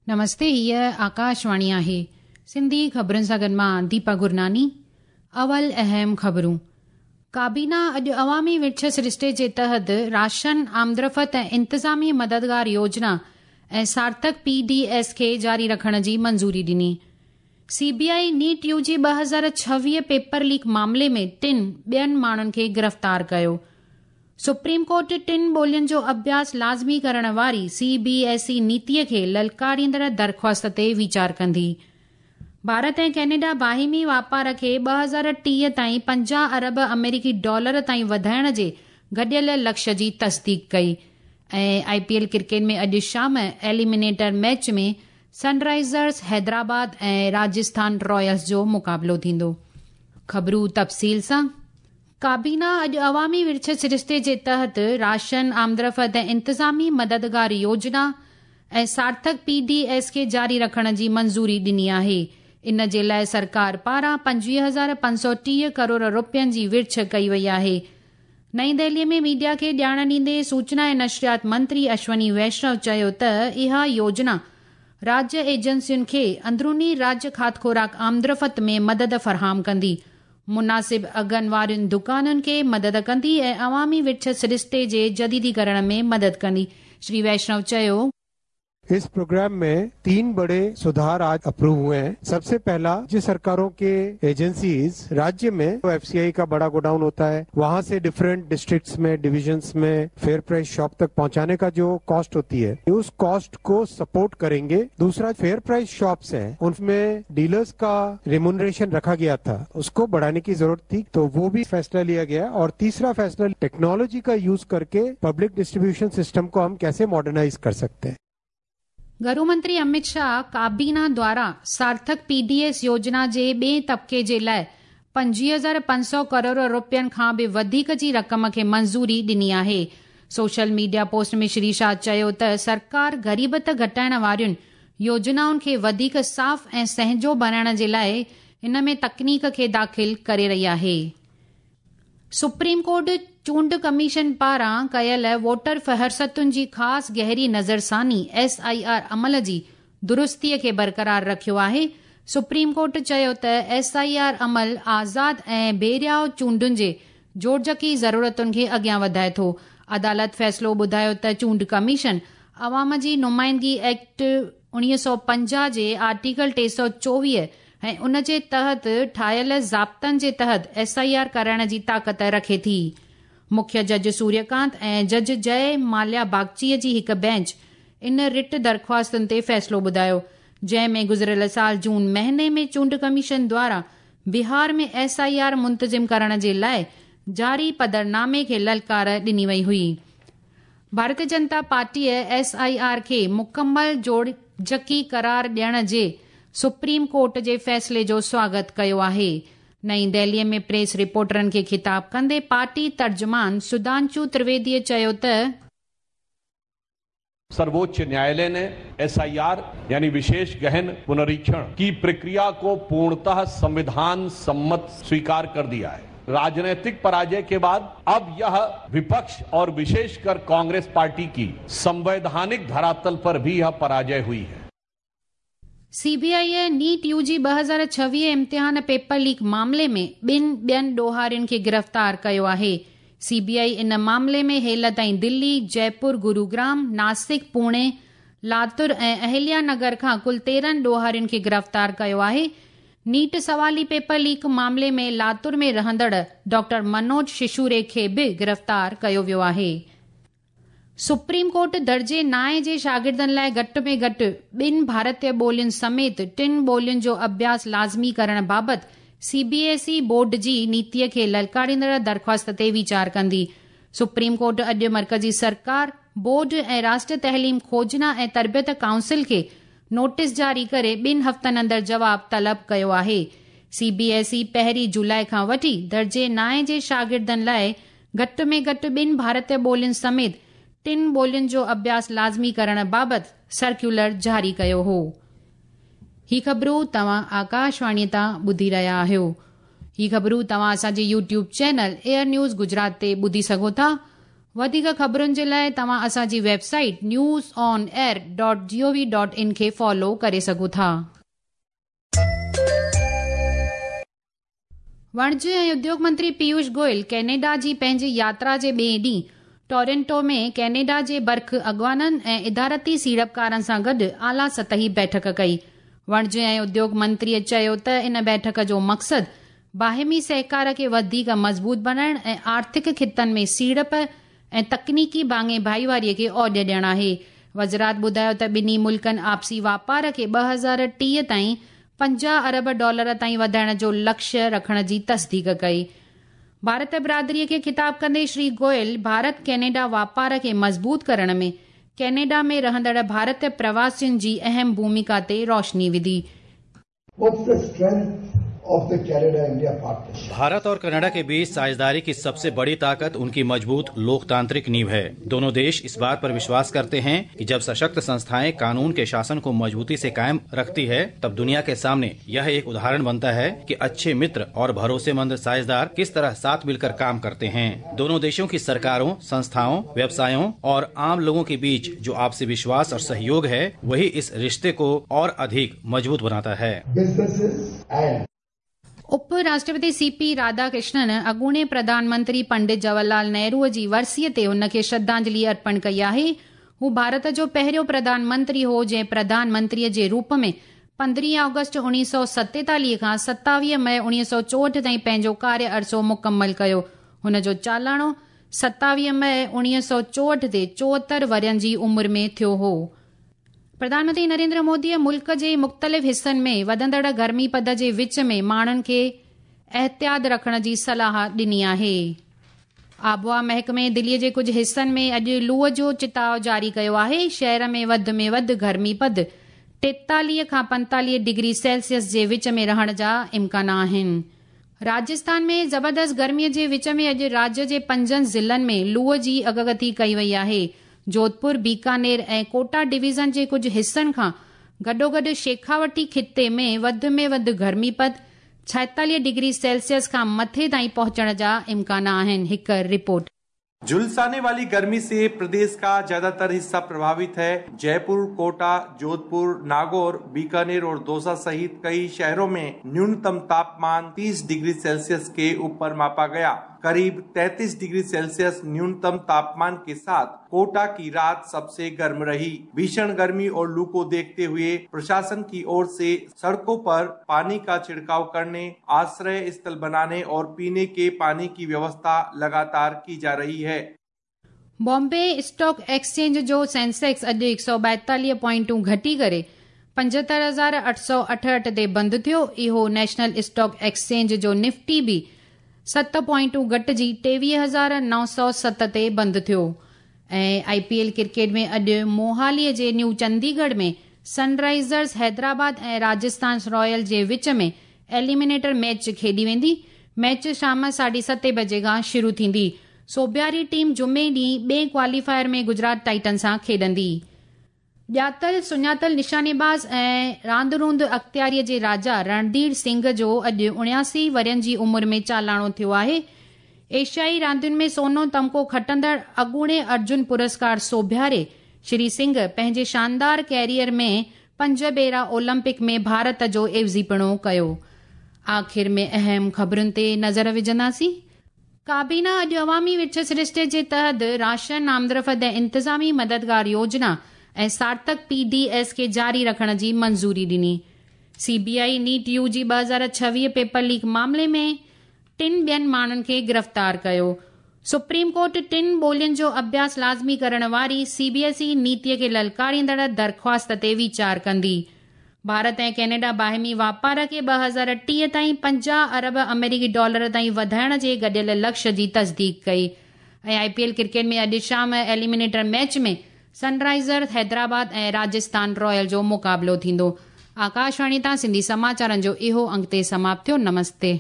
نمستي هيء آڪاشواڻي آهي سنڌي خبرن سان گڏ مان ديپا گرناني اول اهم خبرون ڪابينا اڄ عوامي ورڇ سرشتي جي تحت راشن آمدرفت ۽ انتظامي مددگار يوجنا ۽ سارٿڪ پي ڊي ايس کي جاري رکڻ جي منظوري ڏني. C B I NEET U G 2026 paper leak معاملي ۾ ٽن ٻين ماڻهن کي گرفتار ڪيو. سپريم ڪورٽ ٽن ٻولين جو اڀياس لازمي ڪرڻ واري سي بي ايس اي نيتي کي للڪاريندڙ درخواست تي ويچار ڪندي. ڀارت ۽ ڪينيڊا باهمي واپار کي 2030 تائين 50 ارب آمريڪي ڊالر تائين وڌائڻ جي گڏيل لڪش جي تصديق ڪئي ۽ آء پي ايل ڪرڪيٽ ۾ اڄ شام ايليمينيٽر ميچ ۾ سن رائيزرز حيدرآباد ۽ راجسٿان رائلز جو مقابلو ٿيندو. خبرون تفصيل سان ڪابينا اڄ عوامي ورڇ سرشتي جي تحت راشن، آمدرفت ۽ انتظامي مددگار يوجنا ۽ سارٿڪ پي ڊي ايس کي جاري رکڻ جي منظوري ڏني آهي. ان جي لاء سرڪار پاران 25,530 ڪروڙ رپين جي ورڇ ڪئي وئي آهي. نئين دهلي ۾ ميڊيا کي ڄاڻ ڏيندي سوچنا ۽ نشريات منتري اشوني ويشنو چيو ته اها يوجنا راجيه ايجنسين کي اندروني راجيه کاڌ خوراڪ آمدرفت ۾ مدد فراهم ڪندي. مناسب اگهن وارين دڪانن کي مدد ڪندي ۽ عوامي ورڇ سرشتي جي جديديڪرڻ ۾ مدد ڪندي. شري ويشنو چيو. اس پروگرام में तीन बड़े सुधार आज अप्रूव हुए हैं। सबसे पहला, राज्य सरकारों के एजेंसीज राज्य में एफसीआई का बड़ा गोडाउन होता है, वहां से डिफरेंट डिस्ट्रिक्ट्स में, डिविजन्स में फेयर प्राइस शॉप तक पहुंचाने का जो कॉस्ट होती है, उस कॉस्ट को सपोर्ट करेंगे। दूसरा, फेयर प्राइस शॉप्स हैं, उनमें डीलर्स का रिम्यूनरेशन रखा गया था, उसको बढ़ाने की जरूरत थी, तो वो भी फैसला लिया गया। और तीसरा फैसला, टेक्नोलॉजी का यूज करके पब्लिक डिस्ट्रीब्यूशन सिस्टम को हम कैसे मॉडर्नाइज कर सकते हैं। گهرو منتري امت شاهه ڪابينا دواران سارٿڪ پي ڊي ايس يوجنا جي ٻئين طبقي جي لاء 25,500 ڪروڙ رپين کان به وڌيڪ جي رقم کي منظوري ڏني آهي. Social media post ۾ Shri Shah چيو ته سرڪار غريبت گهٽائڻ وارين يوجنائن کي وڌيڪ صاف ۽ سهنجو بڻائڻ جي لاء ان ۾ تڪنيڪ کي داخل ڪري رهي آهي. سپريم ڪورٽ چونڊ ڪميشن پاران ڪيل ووٽر فهرستن جي خاص گهري نظرثاني، ايس I R, عمل جي درستي کي برقرار رکيو آهي. سپريم ڪورٽ چيو ته ايس I R عمل آزاد ۽ بي رياء چونڊن جي جوڙجڪي ضرورتن کي اڳيان وڌائي ٿو. عدالت فيصلو ٻڌايو ته چونڊ ڪميشن عوام جي نمائندگي ايڪٽ 1950 جي آرٽيڪل 324 ۽ ان جي تحت ٺاهيل ضابطن جي تحت ايس I R ڪرائڻ جي طاقت رکي ٿي. مکيه جج سوريه ڪانت ۽ جج جئه ماليا باگچي جي هڪ بينچ ان رٽ درخواستن تي فيصلو ٻڌايو، جنهن ۾ گذريل سال جون مهيني ۾ چونڊ ڪميشن دواران بهار ۾ ايس I R منتظم ڪرڻ جي لاء جاري پڌرنامي کي للڪار ڏني وئي هئي. ڀارتيه جنتا پارٽيء ايس I R کي مڪمل جوڙجڪي قرار ڏيڻ جي سپريم ڪورٽ جي فيصلي جو سواگت ڪيو آهي. نئين دهليء ۾ پريس رپورٽرن کي خطاب ڪندي پارٽي ترجمان سڌانشو ترويديء چيو ته. सर्वोच्च न्यायालय ने एसआईआर यानी विशेष गहन पुनरीक्षण की प्रक्रिया को पूर्णतः संविधान सम्मत स्वीकार कर दिया है। राजनीतिक पराजय के बाद अब यह विपक्ष और विशेषकर कांग्रेस पार्टी की संवैधानिक धरातल पर भी यह पराजय हुई है। سي بي آء نيٽ يو جي 2026 امتحان پيپر ليڪ معاملي ۾ ٻن ٻين ڏوهارين کي گرفتار ڪيو آهي. سي بي آء ان معاملي ۾ هيل تائين دلي، جئپور، گروگرام، ناسڪ، پوڻي، لاتور ۽ اهليا نگر کان ڪل 13 ڏوهارين کي گرفتار ڪيو آهي. نيٽ سوالي پيپر ليڪ معاملي ۾ لاتور ۾ رهندڙ ڊاڪٽر منوج ششوري کي به گرفتار ڪيو ويو آهي. سپريم ڪورٽ درجي نائين جي شاگردن لاء گهٽ ۾ گهٽ ٻن ڀارتي ٻولين سميت ٽن ٻولين جو اڀياس لازمي ڪرڻ بابت سي بي ايس اي بورڊ جي نيتي کي للڪاريندڙ درخواست تي ويچار ڪندي. سپريم ڪورٽ اڄ مرڪزي سرڪار، بورڊ ۽ راشٽريه تعليم کوجنا ۽ تربيت ڪائونسل کي نوٽيس جاري ڪري ٻن هفتن اندر جواب طلب ڪيو آهي. سي بي ايس اي پهرين جولاء کان وٺي درجي نائين جي شاگردن لاء گهٽ ۾ گهٽ ٻن ڀارتي ٻولين سميت ٽن ٻولين جو اڀياس لازمي ڪرڻ بابت سرڪيولر جاري ڪيو هو. هي خبرون توهان آڪاشواڻي تان ٻڌي رهيا آهيو. هي خبرون توهان اسان جي YouTube channel air news Gujarat تي ٻڌي سگهو ٿا. وڌيڪ خبرن جي لاءِ توهان اسان جي website news on air dot G O V dot in کي فالو ڪري سگهو ٿا. وڻج ۽ اديوگ منتري پيوش گوئل ڪينيڊا جي پنهنجي ياترا جي ٻئي ڏينهن ٽورنٽو ۾ ڪينيڊا جي برک اڳواڻن ۽ ادارتي سيڙپڪارن سان گڏ اعليٰ سطحي بيٺڪ ڪئي. وڻج ۽ اديوگ منتريءَ چيو ته ان بيٺڪ جو مقصد باهمي سهڪار کي وڌيڪ مضبوط بڻائڻ ۽ آرٿڪ خطن ۾ سيڙپ ۽ تڪنيڪي ڀاڱي ڀائيواريءَ کي اوڄ ڏيڻ آهي. وزارت ٻڌايو ته ٻنهي ملڪن آپسي واپار کي 2030 تائين 50 ارب ڊالر تائين وڌائڻ جو لڪشيه رکڻ جي تصديق ڪئي. ڀارت برادريءَ کي خطاب ڪندي شري گوئل ڀارت ڪينيڊا واپار کي مضبوط ڪرڻ ۾ ڪينيڊا ۾ رهندڙ ڀارت پرواسين جي اهم ڀومڪا تي روشني وڌي. What's the strength of the Canada-India partnership? Bharat और कनाडा के बीच साझेदारी की सबसे बड़ी ताकत उनकी मजबूत लोकतांत्रिक नींव है। दोनों देश इस बात पर विश्वास करते हैं कि जब सशक्त संस्थाएं कानून के शासन को मजबूती से कायम रखती है, तब दुनिया के सामने यह एक उदाहरण बनता है कि अच्छे मित्र और भरोसेमंद साझेदार किस तरह साथ मिलकर काम करते हैं। दोनों देशों की सरकारों, संस्थाओं, व्यवसायों और आम लोगों के बीच जो आपसी विश्वास और सहयोग है, वही इस रिश्ते को और अधिक मजबूत बनाता है। Businesses and उप राष्ट्रपति सीपी राधाकृष्णन अॻूणे प्रधानमंत्री पंडित जवाहरलाल नेहरूअ जी वरसीअ ते हुनखे श्रद्धांजलि अर्पण कई आहे। हू भारत जो पहिरियों प्रधानमंत्री हो जंहिं प्रधानमंत्रीअ जे रूप में 15 ऑगस्ट 1947 खां 27 मई 1964 ताईं पंहिंजो कार्य अरसो मुकमल कयो। हुन जो चालाणो 27 मई 1964 ते 74 वरनि जी उमिरि में थियो हो। प्रधानमंत्री नरेंद्र मोदीअ मुल्क जे मुख़्तलिफ़ हिसनि में वधंदड़ गर्मी पद जे विच में माण्हुनि खे एहतियात रखण जी सलाह ॾिनी आहे। आबहावा महकमे दिल्लीअ जे कुझु हिसनि में अॼु लूअ जो चिताव जारी कयो आहे। शहर में वधि में वधि गर्मी पद 43 खां 45 डिग्री सेल्सियस जे विच में रहण जा इम्कान आहिनि। राजस्थान में ज़बरदस्त गर्मीअ जे विच में अॼु राज्य जे 5 ज़िलनि में लूअ जी अॻकथी कई वई आहे। जोधपुर, बीकानेर ऐं कोटा डिवीज़न जे कुझु हिसनि खां गॾोगॾु शेखावटी खिते में वधि में वधि गर्मी पद 46 डिग्री सेल्सियस खां मथे ताईं पहुचण जा इम्कान आहिनि। हिकु रिपोर्ट। झुलसाने वाली गर्मी से प्रदेश का ज्यादातर हिस्सा प्रभावित है। जयपुर, कोटा, जोधपुर, नागौर, बीकानेर और दौसा सहित कई शहरों में न्यूनतम तापमान 30 डिग्री सेल्सियस के ऊपर मापा गया। करीब 33 डिग्री सेल्सियस न्यूनतम तापमान के साथ कोटा की रात सबसे गर्म रही। भीषण गर्मी और लू को देखते हुए प्रशासन की ओर से सड़कों पर पानी का छिड़काव करने, आश्रय स्थल बनाने और पीने के पानी की व्यवस्था लगातार की जा रही है। बॉम्बे स्टॉक एक्सचेंज जो सेंसेक्स अॼु 142 पॉइंटूं घटी करे 75,868 ते बंदि थियो। इहो नेशनल स्टॉक एक्सचेंज जो निफ्टी बि 7 पॉइंटूं घटिजी 23,907 ते बंदि थियो। ऐं आईपीएल क्रिकेट में अॼु मोहालीअ जे न्यू चंडीगढ़ में सनराइज़र्स हैदराबाद ऐं राजस्थान रॉयल जे विच में एलिमिनेटर मैच खेॾी वेंदी। मैच शाम 7:30 बजे खां शुरू थींदी। सोबियारी टीम जुमे ॾींहुं ॿिए क्वालीफायर में गुजरात टाइटन सां खेॾंदी। ॼातल सुञातल निशानेबाज़ ऐं रांदि रूंद अख़्तियारीअ जे राजा रणधीर सिंह जो अॼु 79 वरनि जी उमिरि में चालाणो थियो आहे। एशियाई रांदियुनि में सोनो तमको खटंदड़ अॻूणे अर्जुन पुरस्कार सोभियारे श्री सिंह पंहिंजे शानदार कैरियर में 5 भेरा ओलंपिक में भारत जो एवज़ीपणो कयो। आख़िर में अहम ख़बरुनि ते नज़र विझंदासीं। काबीना अॼु अवामी विछ सरिश्ते जे तहत राशन आमदरफ़्त ऐं इंतिज़ामी मददगार योजना ऐं सार्थक पीडीएस खे जारी रखण जी मंज़ूरी ॾिनी। सीबीआई नीट यू जी 2026 पेपर लीक मामले में 3 ॿियनि माण्हुनि खे गिरफ़्तार कयो। सुप्रीम कोर्ट 3 ॿोलियुनि जो अभ्यास लाज़मी करण वारी सीबीएसई नीतीअ खे ललकारींदड़ दरख़्वास्त ते वीचार कंदी। भारत ऐं कनाडा बाहिमी वापार खे 2030 ताईं 50 अरब अमेरिकी डॉलर ताईं वधाइण जे गॾियल लक्ष्य जी तस्दीक कई। ऐं आईपीएल क्रिकेट में अॼु शाम एलिमिनेटर मैच में सनराइज़र्स हैदराबाद ऐं राजस्थान रॉयल जो मुक़ाबिलो थींदो। आकाशवाणी तां सिंधी समाचारनि जो इहो अंक ते समाप्त थियो। नमस्ते।